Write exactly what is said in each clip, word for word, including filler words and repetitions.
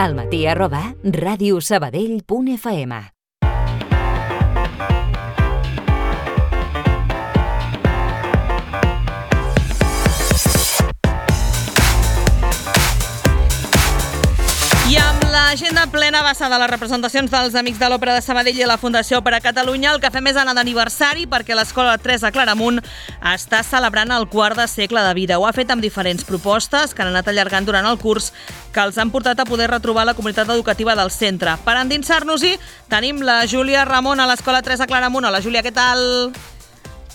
almatí arroba radiosabadell punt f m. I amb l'agenda plena basada en les representacions dels Amics de l'Òpera de Sabadell i la Fundació Òpera Catalunya, el que fem és anar d'aniversari perquè l'Escola tres de Claramunt està celebrant el quart de segle de vida. Ho ha fet amb diferents propostes que han anat allargant durant el curs que els han portat a poder retrobar la comunitat educativa del centre. Per endinsar-nos-hi, tenim la Júlia Ramon a l'Escola tres de Claramunt. Hola, Júlia, què tal?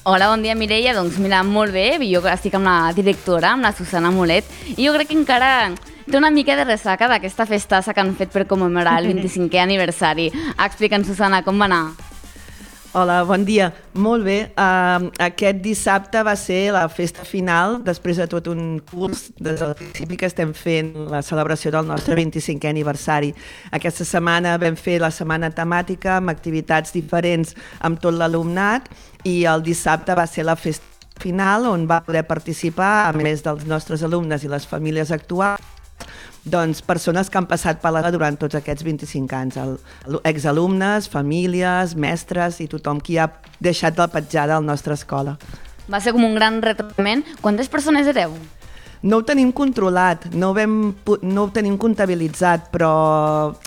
Hola, bon dia, Mireia. Doncs mira, molt bé. Jo estic amb la directora, amb la Susana Molet, i jo crec que encara té una mica de ressaca d'aquesta festassa que han fet per commemorar el vint-i-cinquè aniversari. Explica'ns, Susana, com va anar? Hola, bon dia. Molt bé. Uh, aquest dissabte va ser la festa final, després de tot un curs, des del principi que estem fent la celebració del nostre vint-i-cinquè aniversari. Aquesta setmana vam fer la setmana temàtica amb activitats diferents amb tot l'alumnat i el dissabte va ser la festa final on va poder participar, a més dels nostres alumnes i les famílies actuals, doncs persones que han passat per l'A durant tots aquests vint-i-cinc anys, el, exalumnes, famílies, mestres i tothom qui ha deixat la petjada a la nostra escola. Va ser com un gran retrobament. Quantes persones éreu? No ho tenim controlat, no ho, vam, no ho tenim comptabilitzat, però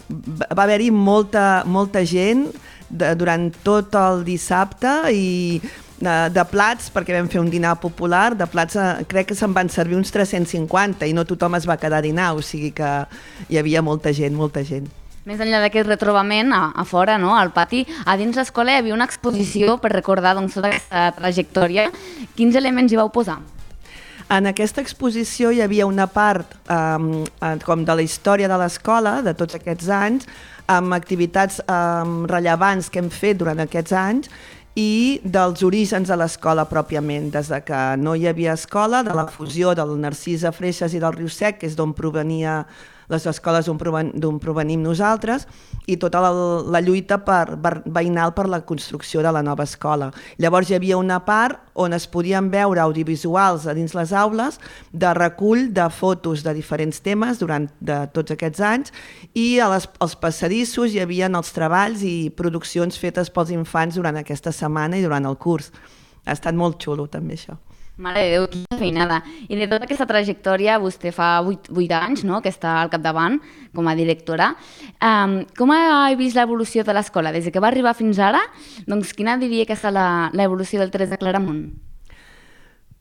va haver-hi molta, molta gent de, durant tot el dissabte i de, de plats, perquè vam fer un dinar popular, de plats crec que se'n van servir uns tres-cents cinquanta i no tothom es va quedar a dinar, o sigui que hi havia molta gent, molta gent. Més enllà d'aquest retrobament, a, a fora, no, al pati, a dins l'escola hi havia una exposició per recordar doncs, tota aquesta trajectòria. Quins elements hi vau posar? En aquesta exposició hi havia una part um, com de la història de l'escola, de tots aquests anys, amb activitats um, rellevants que hem fet durant aquests anys i dels orígens de l'escola pròpiament, des de que no hi havia escola, de la fusió del Narcís a Freixes i del Riu Sec, que és d'on provenia les escoles d'on provenim nosaltres, i tota la, la lluita per, per, veïnal per la construcció de la nova escola. Llavors hi havia una part on es podien veure audiovisuals a dins les aules de recull de fotos de diferents temes durant de tots aquests anys i a les, als passadissos hi havia els treballs i produccions fetes pels infants durant aquesta setmana i durant el curs. Ha estat molt xulo també això. Mare de Déu, quina feinada. I de tota aquesta trajectòria, vostè fa vuit anys, no?, que està al capdavant com a directora. Um, com ha vist l'evolució de l'escola? Des que va arribar fins ara, doncs quina diria que és l'evolució del tres de Claramunt?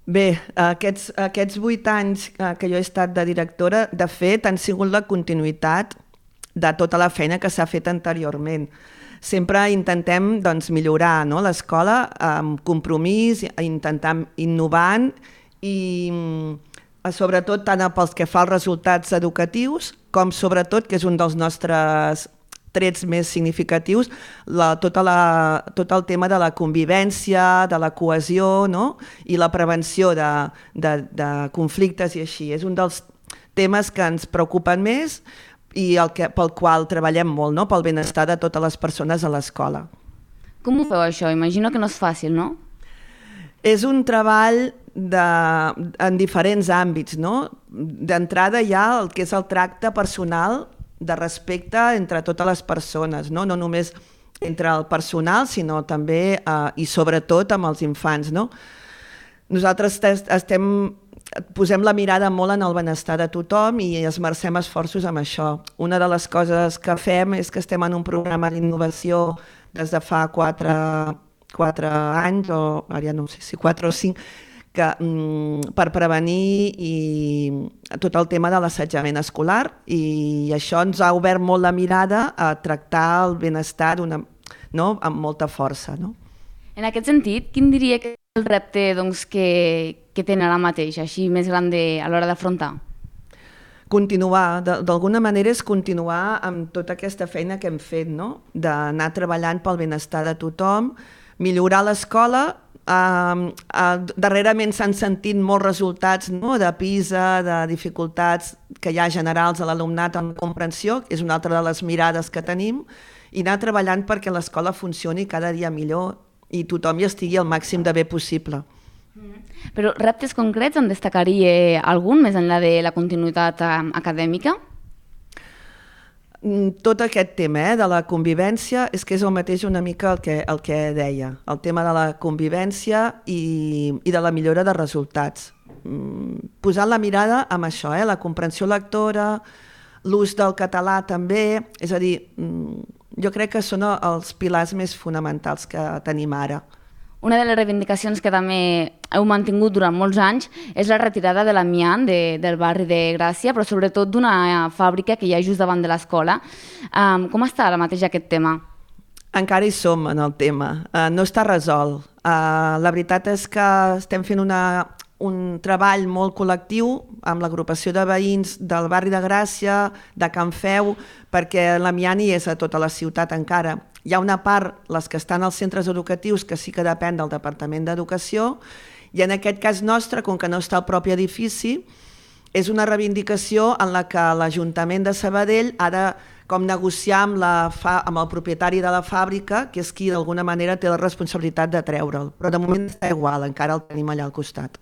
Bé, aquests, aquests vuit anys que jo he estat de directora, de fet, han sigut la continuïtat de tota la feina que s'ha fet anteriorment. Sempre intentem doncs, millorar, no?, l'escola amb compromís, intentant innovant i sobretot tant pels que fa els resultats educatius com sobretot, que és un dels nostres trets més significatius, la, tota la, tot el tema de la convivència, de la cohesió, no?, i la prevenció de, de, de conflictes i així. És un dels temes que ens preocupen més i el que, pel qual treballem molt, no?, pel benestar de totes les persones a l'escola. Com ho feu això? Imagino que no és fàcil, no? És un treball de, en diferents àmbits, no? D'entrada hi ha el que és el tracte personal de respecte entre totes les persones, no, no només entre el personal, sinó també eh, i sobretot amb els infants, no? Nosaltres estem posem la mirada molt en el benestar de tothom i esmercem esforços amb això. Una de les coses que fem és que estem en un programa d'innovació des de fa quatre, quatre anys, o ara ja no sé si quatre o cinc, que, mm, per prevenir i tot el tema de l'assetjament escolar, i això ens ha obert molt la mirada a tractar el benestar d'una, no?, amb molta força, no? En aquest sentit, quin diria que és el repte doncs, que, que tenen ara mateix, així més gran de, a l'hora d'afrontar? Continuar, d'alguna manera és continuar amb tota aquesta feina que hem fet, no?, d'anar treballant pel benestar de tothom, millorar l'escola. Uh, uh, darrerament s'han sentit molts resultats, no?, de PISA, de dificultats que hi ha generals a l'alumnat en la comprensió, és una altra de les mirades que tenim, i anar treballant perquè l'escola funcioni cada dia millor i tothom hi estigui el màxim de bé possible. Però reptes concrets en destacaria algun, més enllà de la continuïtat acadèmica? Tot aquest tema eh, de la convivència és que és el mateix una mica el que, el que deia, el tema de la convivència i, i de la millora de resultats. Posant la mirada amb això, eh, la comprensió lectora, l'ús del català també, és a dir, jo crec que són els pilars més fonamentals que tenim ara. Una de les reivindicacions que també heu mantingut durant molts anys és la retirada de l'amiant de, del barri de Gràcia, però sobretot d'una fàbrica que hi ha just davant de l'escola. Um, com està ara mateix aquest tema? Encara hi som en el tema. Uh, no està resolt. Uh, la veritat és que estem fent una, un treball molt col·lectiu amb l'agrupació de veïns del barri de Gràcia, de Can Feu, perquè l'amiant hi és a tota la ciutat encara. Hi ha una part, les que estan als centres educatius, que sí que depèn del Departament d'Educació, i en aquest cas nostre, com que no està al propi edifici, és una reivindicació en la que l'Ajuntament de Sabadell ha de com negociar amb, la fa, amb el propietari de la fàbrica, que és qui d'alguna manera té la responsabilitat de treure'l. Però de moment està igual, encara el tenim allà al costat.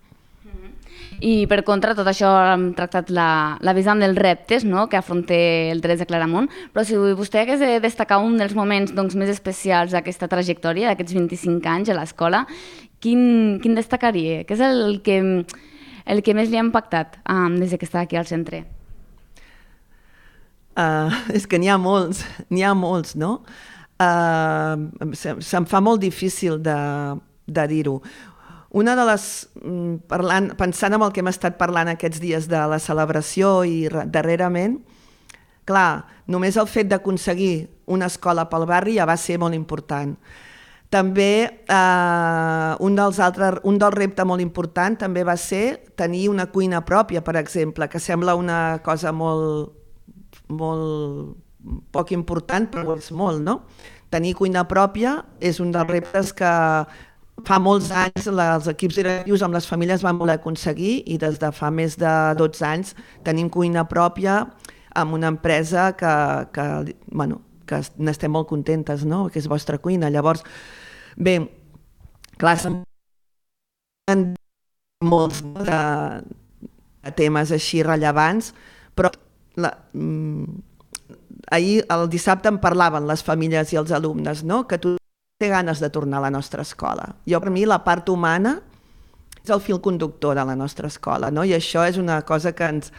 I per contra, tot això hem tractat la, la vessant dels reptes, no?, que afronta el tres de Claramunt, però si vostè hagués de destacar un dels moments doncs, més especials d'aquesta trajectòria, d'aquests vint-i-cinc anys a l'escola, quin, quin destacaria? Què és el que, el que més li ha impactat um, des que està aquí al centre? Uh, és que n'hi ha molts, n'hi ha molts, no? Uh, se, se'm fa molt difícil de, de dir-ho. Una de les, parlant, pensant en el que hem estat parlant aquests dies de la celebració i darrerament, clar, només el fet d'aconseguir una escola pel barri ja va ser molt important. També eh, un dels altres, un dels reptes molt important també va ser tenir una cuina pròpia, per exemple, que sembla una cosa molt, molt poc important, però és molt, no? Tenir cuina pròpia és un dels reptes que fa molts anys els equips directius amb les famílies van voler aconseguir i des de fa més de dotze anys tenim cuina pròpia amb una empresa que, que, bueno, que n'estem molt contentes, no? Que és Vostra Cuina. Llavors, bé, clar, són molts de, de temes així rellevants, però la, ahir, el dissabte, en parlaven les famílies i els alumnes, no? Que tu té ganes de tornar a la nostra escola. Jo, per mi, la part humana és el fil conductor de la nostra escola, no? I això és una cosa que ens,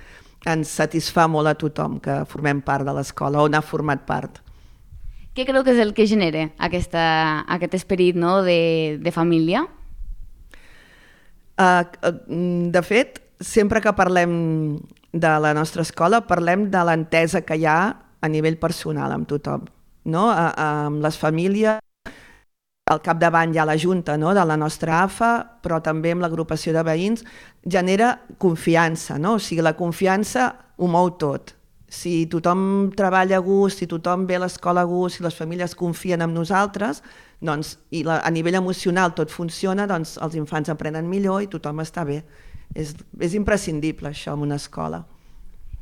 ens satisfà molt a tothom que formem part de l'escola o n'ha format part. Què creu que és el que genera aquesta, aquest esperit, no?, de, de família? Uh, de fet, sempre que parlem de la nostra escola, parlem de l'entesa que hi ha a nivell personal amb tothom, no? A, a, amb les famílies. Al capdavant hi ha la Junta, no?, de la nostra A F A, però també amb l'agrupació de veïns, genera confiança, no? O sigui, la confiança ho mou tot. Si tothom treballa a gust, si tothom ve a l'escola a gust, si les famílies confien en nosaltres, doncs, i la, a nivell emocional tot funciona, doncs els infants aprenen millor i tothom està bé. És, és imprescindible això en una escola.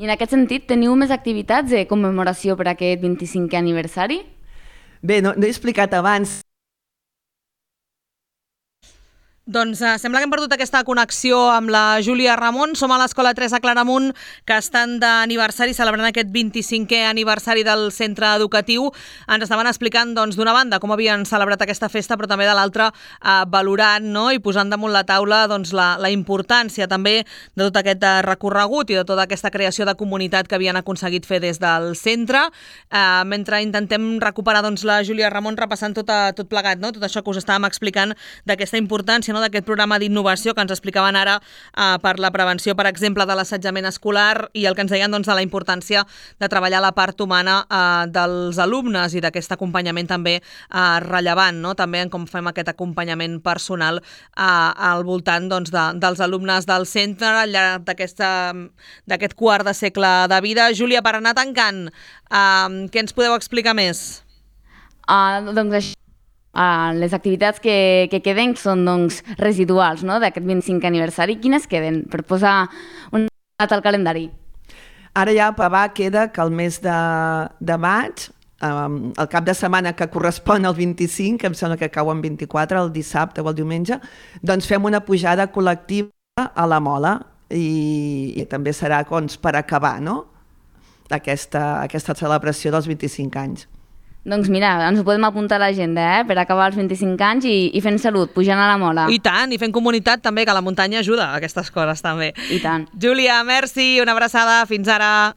I en aquest sentit, teniu més activitats de commemoració per aquest vint-i-cinquè aniversari? Bé, no, no he explicat abans. Doncs eh, sembla que hem perdut aquesta connexió amb la Júlia Ramon. Som a l'Escola tres a Claramunt, que estan d'aniversari, celebrant aquest vint-i-cinquè aniversari del centre educatiu. Ens estaven explicant, doncs, d'una banda com havien celebrat aquesta festa, però també de l'altra eh, valorant, no?, i posant damunt la taula, doncs, la, la importància també de tot aquest recorregut i de tota aquesta creació de comunitat que havien aconseguit fer des del centre. Eh, mentre intentem recuperar, doncs, la Júlia Ramon repassant tot, a, tot plegat, no?, tot això que us estàvem explicant d'aquesta importància, no?, d'aquest programa d'innovació que ens explicaven ara eh, per la prevenció, per exemple, de l'assetjament escolar, i el que ens deien, doncs, de la importància de treballar la part humana eh, dels alumnes i d'aquest acompanyament també eh, rellevant, no?, també en com fem aquest acompanyament personal eh, al voltant, doncs, de, dels alumnes del centre al llarg d'aquest quart de segle de vida. Júlia, per anar tancant, eh, què ens podeu explicar més? Uh, doncs això. Uh, les activitats que, que queden són, doncs, residuals, no?, d'aquest vint-i-cinquè aniversari. Quines queden per posar un data al calendari? Ara ja va, queda que el mes de, de maig, um, el cap de setmana que correspon al vint-i-cinc, que em sembla que cau en vint-i-quatre, el dissabte o el diumenge, doncs fem una pujada col·lectiva a la Mola i, i també serà, doncs, per acabar, no?, aquesta, aquesta celebració dels vint-i-cinc anys. Doncs mira, ens ho podem apuntar a l'agenda, eh? Per acabar els vint-i-cinc anys i, i fent salut, pujant a la mola. I tant, i fent comunitat també, que la muntanya ajuda a aquestes coses també. I tant. Júlia, merci, una abraçada, fins ara.